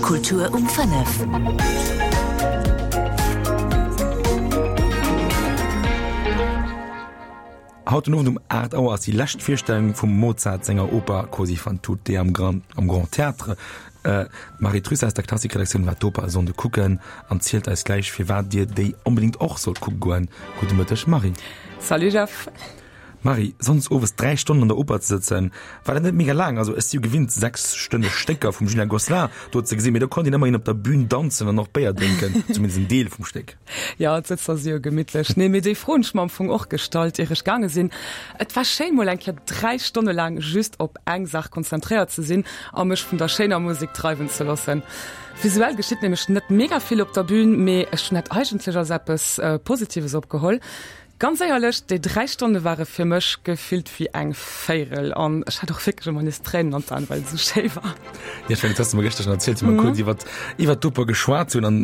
Kultur um 5. Haut den Owend um 8 Auer ass déi lescht Virstellung vum Mozart senger Oper Così fan tutte am Grand, am Grand Théâtre. D'Marie Trüss aus der Klassikredaktioun war d'Oper e Sonnde kucken an zielt eis gläich firwat dir déi onbedéngt och sollt kucke goen. Gudde Mëtteg Marie. Salut Jeff. Marie, sonndes owes 3 Stonnen an der Oper ze sëtzen, war dat net mega laang? Also ech si jo gewinnt 6 stënneg Stécker vum Julien Gosselin do ze gesinn, mee do konnt een ëmmerhin op der Bühn danzen an och Béier drénken, zumindest en Deel vum Stéck. Jo, d'Sëtzer si jo gemittlech. Nee, mee déi Fro hunn ech mer am Fong och gestallt, ier ech gaange sinn. Et war schéin, mol eng Kéier 3 Stonne laang just op eng Saach konzentréiert ze sinn a mech vun der schéiner Musek dreiwen ze loossen. Visuell geschitt nämlech net mega vill op der Bühn, mee ech hunn dat eigentlech als eppes Positives opgeholl. Ganz éierlech, déi 3 Stonne ware fir mech gefillt wéi eng Véirel an ech hat och wierklech ëmmer nees Tréinen an d'Aen, well et esou schéi war. Jo, ech mengen, dat has de mer gëschter schonn erzielt, wéi mer kuerz iwwer, iwwer d'Oper geschwat hunn an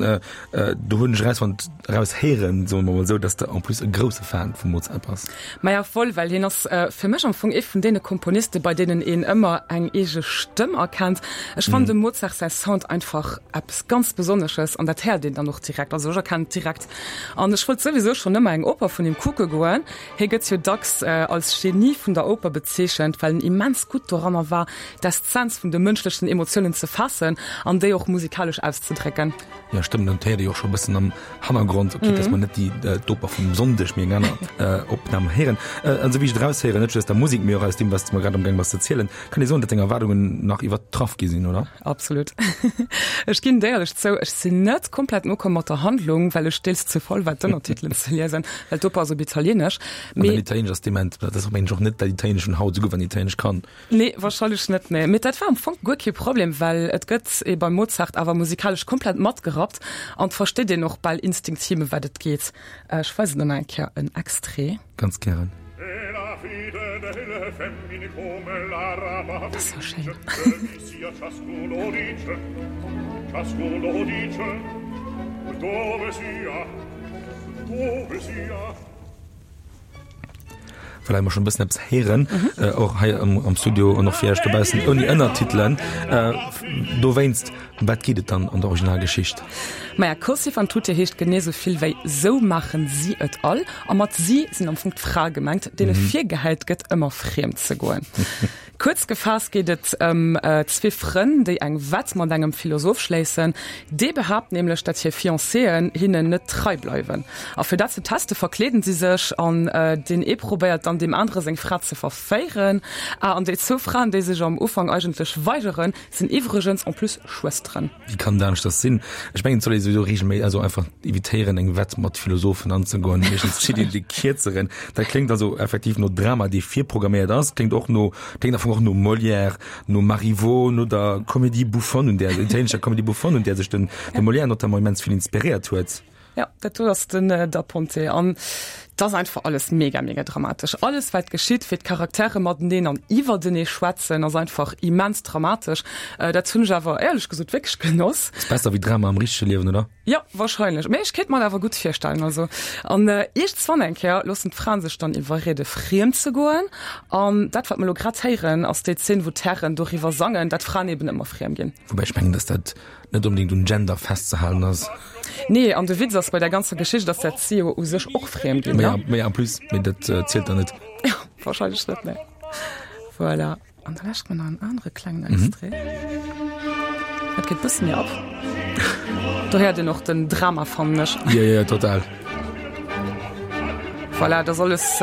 do hunn ech erausfonnt, eraushéieren, soe mer mol esou, dass de en plus e grousse Fan vum Mozart bass. Maja, voll, well hien ass fir mech am Fong ee vun deene Komponiste, bei deenen een ëmmer eng eege Stëmm erkennt. Ech fannen dem Mozart säi Sound einfach eppes ganz Besonnesches an dat héiert een dann och direkt, also ech erkennen et direkt. An ech wollt souwisou schonn ëmmer eng Oper vun him kucke goen. Hie gëtt jo dacks als Genie vun der Oper bezeechent, well en immens gutt doranner war, d'Essenz vun de mënschlechen Emotiounen ze faassen an déi och musikalesch auszedrécken. Jo, stëmmt, an et héiert ee jo och scho e bëssen am Hannergrond, ok, dass mer net déi d'Oper vum Sonndeg, mee eng aner Opnam héieren. An esou wéi ech et eraushéieren, net just aus der Musek, mee och aus deem, wat s de mer grad amgaang bass ze zielen, kann ee soen, datt deng Erwaardungen nach iwwertraff gi sinn, oder? Absolut. Ech ginn d'éierlech zou, ech sinn net komplett nokomm mat der Handlung, well ech deels ze faul war d'Ënnertitelen ze liesen, well d'Oper ass op Italienesch. An dein Italienesch ass dement, dat ass och mengen ech och net dat Italienesch vun haut, esou gutt wann een Italienesch kann. Nee, wahrscheinlech net, nee. Mee dat war am Fong guer kee Problem, well et gëtt ee beim Mozart awer musikalesch komplett matgerappt an et versteet een och bal instinktiv ëm wat et geet. Ech weisen der nach eng Kéier en Extrait. Ganz gären. Dat ass sou schéin. Voilà, mer schon e bëssen eppes héieren, och hei am Studio an och fir Iech dobaussen ouni Ënnertitelen. Dowéinst, ëm wat geet et dann an der Originalgeschicht? Maja, Così fan tutte heescht genee sou vill wéi Sou maachen si et all. A mat si sinn am Fong d'Frae gemengt, deene virgehäit gëtt, ëmmer friem ze goen. Kuerz gefaasst geet et ëm zwee Frënn, déi eng Wett mat engem Philosoph schléissen. Dee behaapt nämlech, datt hir Fiancéen hinnen net trei bleiwen. A fir dat ze teste verkleeden si sech an deen ee probéiert dann deem anere seng Fra ze verféieren. Ah, an déi zwou Fraen, déi sech am Ufank eigentlech weigeren, sinn iwwregens en plus Schwësteren. Wéi kann et aneschters sinn? Ech mengen, et soll ee souwisou regelméi, also einfach evitéieren, eng Wett mat Philosophen anzegoen. Meeschtens zitt een dee Kierzeren. Dat kléngt also effektiv no Drama, dee virprogramméiert ass. Kléngt och no, kléngt am Fong och no Molière, no Marivaux, no der Comédie bouffonne, un där, der italienescher Comédie bouffonne, un där sech den, de Molière notamment immens vill inspiréiert huet. Jo, dat do ass den Da Ponte an et ass einfach alles mega, mega dramatesch. Alles wat geschitt, wéi d'Charaktere mateneen an iwwertenee schwätzen, ass einfach immens dramatesch. Dat hunn ech awer éierlech gesot wierklech genoss. Ass besser wéi Drama am richtege Liewen, oder? Jo, wahrscheinlech. Mee ech kéint mer et awer gutt virstellen. Also an iergendswann eng Kéier loossen d'Fraen sech dann iwwerriede friem ze goen. An dat wat mer elo grad héieren, ass déi Zeen, wou d'Hären doriwwer sangen, dat Fraen eben ëmmer friem ginn. Woubäi ech mengen, dass dat net onbedéngt un Gender festzehalen ass. Nee, an de Witz ass bei der ganzer Geschicht, dass dat si jo u sech och friem ginn, ne? Mee en plus, mee dat zielt dann net. Jo, wahrscheinlech net, nee. Voilà. An da lauschtert mer nach en anere klengen Extrait. Dat geet bësse méi ab. Do héiert een och den Drama, fannen ech. Jo, jo, total. Voilà, dat ass alles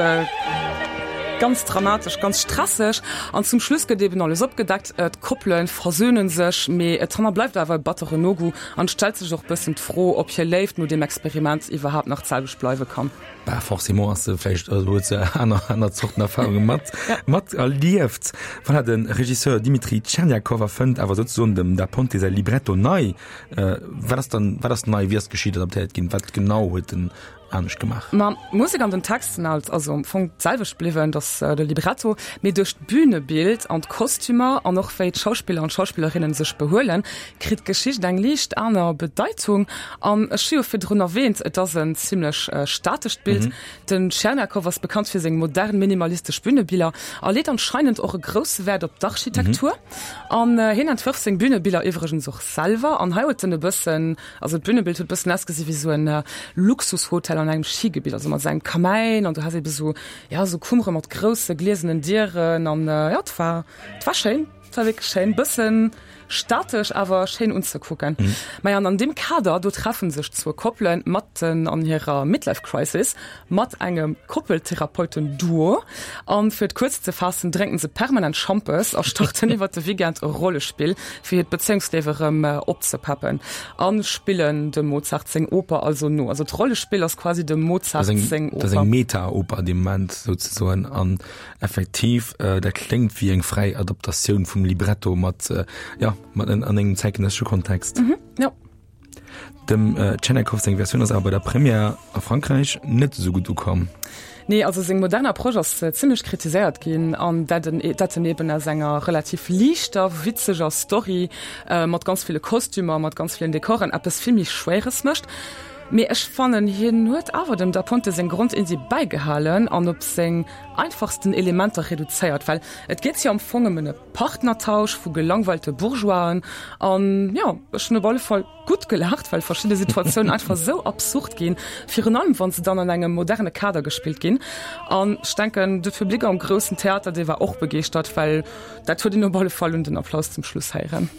ganz dramatesch, ganz stresseg. An zum Schluss gëtt eben alles opgedeckt, d'Koppele versöhnen sech, mee et hannerbleift awer e batteren Nogoût an et stellt sech och bëssen d'Fro, ob hir Léift no deem Experiment iwwerhaapt nach d'selwecht bleiwe kann. Bah, forcément ass se vläicht, also huet se aner, aner Zorten Erfahrunge mat, mat erlieft. Voilà, de Regisseur Dimitri Tcherniakov erfënnt awer souzesoen dem Da Ponte säi Libretto nei. Wat ass dann, wat ass nei, wéi ass d'Geschicht adaptéiert ginn, wat genau huet en. anescht gemaach? Ma d'Musek an den Text sinn alt also am Fong d'selwecht bliwwen, dass de Libretto, mee duerch d'Bünebild an d'Kostümer an och wéi d'Schauspiller an d'Schauspillerinnen sech behuelen, kritt d'Geschicht eng liicht aner Bedeitung. An ech hu jo virdrun erwähnt, et ass en zimlech statescht Bild. Den Tcherniakov ass bekannt fir seng modern minimalistesch Bühnebiller a leet anscheinend och e grousse Wäert op d'Architektur. An hien entwërft seng Bühnebiller iwwregens och selwer. An hei huet en e bëssen, also d'Bühnebild huet e bëssen ausgesi wéi sou en Luxushotel an engem Schigebitt, also mat sou engem Kamäin an du has ebe sou, ja, sou Kummere mat grousse gliesenen Dieren an jo, et war, et war schéin. Et war wierklech schéin, bëssen statesch, awer schéin unzekucken. Maja, an an deem Kader, do treffen sech zwou Koppelen matten an hirer Midlife Crisis mat engem Koppeltherapeuten-Duo. An fir et kuerz ze faassen, drénken se permanent Schampes a starten iwwert de Weekend e Rollespill, fir hiert Bezéiungsliewe rëm opzepeppen. A spillen dem Mozart seng Oper also no. Also d'Rollespill ass quasi dem Mozart seng Oper. Dat ass eng Meta-Oper dee Moment souzesoen. An Effektiv, dat kléngt wéi eng fräi Adaptatioun vum Libretto mat, jo, mat an engem zäitgenëssesche Kontext. Mhm, jo. Dem Tcherniakov seng Versioun ass awer bei der Première a Frankräich net esou gutt ukomm. Nee, also seng modern Approche ass zimmlech kritiséiert ginn, an dat en dat en eben aus enger relativ liichter, witzeger Story mat ganz ville Kostümer, mat ganz villen Dekoren eppes vill méi Schwéieres mécht. Mee ech fannen, hien huet awer dem Da Ponte seng Grondiddi bäigehalen an op seng einfachsten Elementer reduzéiert, well et geet jo am Fong ëm en Partnertausch vu gelangweilte Bourgeoisen an jo, ech hunn op alle Fall gutt gelaacht, well verschidde Situatiounen einfach esou absurd ginn, virun allem wann se dann an engem moderne Kader gespillt ginn. An ech denken, de Public am groussen Theater, dee war och begeeschtert, well dat huet een op alle Fall un den Applaus zum Schluss héieren.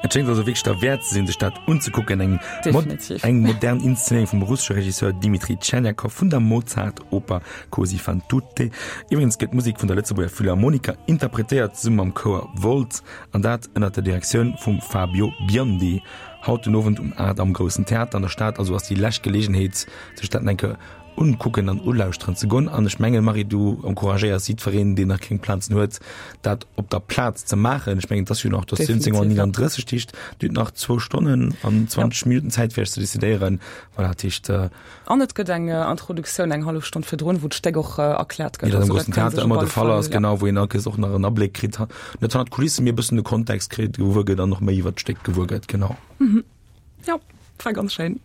Et schéngt also wierklech derwäert ze sinn, sech dat unzekucken. Eng, Definitiv. eng modern Inszenéierung vum russesche Regisseur Dimitri Tcherniakov vun der Mozart-Oper Così fan tutte. Iwwregens gëtt d'Musek vun der Lëtzebuerger Philharmoniker interpretéiert, zesumme mam Chouer Wolz, an dat ënner der Direktioun vum Fabio Biondi. Haut den Owend um 8 am Groussen Theater an der Stad also ass déi lescht Geleegenheet, sech dat eng Kéier unkucken an ulauschteren ze gon. An ech mengen, Marie, du encouragéiers jiddwereen, deen nach keng Plazen huet, dat op der Plaz ze maachen. Ech mengen, et ass jo nach, et ass 17 Auer 39, dat heescht, Dir hutt nach zwou Stonnen an 20 Minutten Zäit, fir Iech ze decidéieren. Voilà, dat heescht. An et gëtt eng Introduktioun eng hallef Stonn virdrun, wou d'Stéck och erkläert gëtt. Wéi dat am Groussen Theater ëmmer de Fall ass, genau, wou een all Kéiers och nach en Abléck kritt, net hannert d'Kulissen, mee e bëssen de Kontext kritt, gewuer gëtt an och méi iwwert d'Stéck gewuer gëtt, genau. Jo, war ganz schéin.